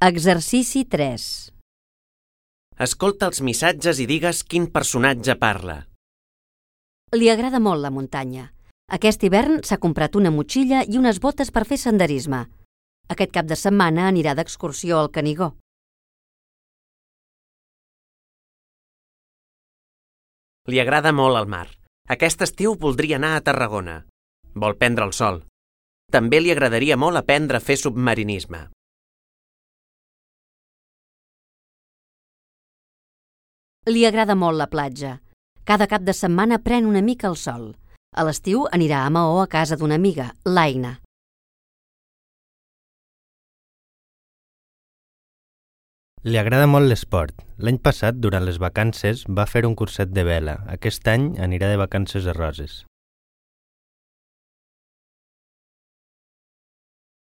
Exercici 3. Escolta els missatges i digues quin personatge parla. Li agrada molt la muntanya. Aquest hivern s'ha comprat una motxilla i unes botes per fer senderisme. Aquest cap de setmana anirà d'excursió al Canigó. Li agrada molt el mar. Aquest estiu voldria anar a Tarragona. Vol prendre el sol. També li agradaria molt aprendre a fer submarinisme. Li agrada molt la platja. Cada cap de setmana pren una mica el sol. A l'estiu anirà a Maó a casa d'una amiga, l'Aina. Li agrada molt l'esport. L'any passat, durant les vacances, va fer un curset de vela. Aquest any anirà de vacances a Roses.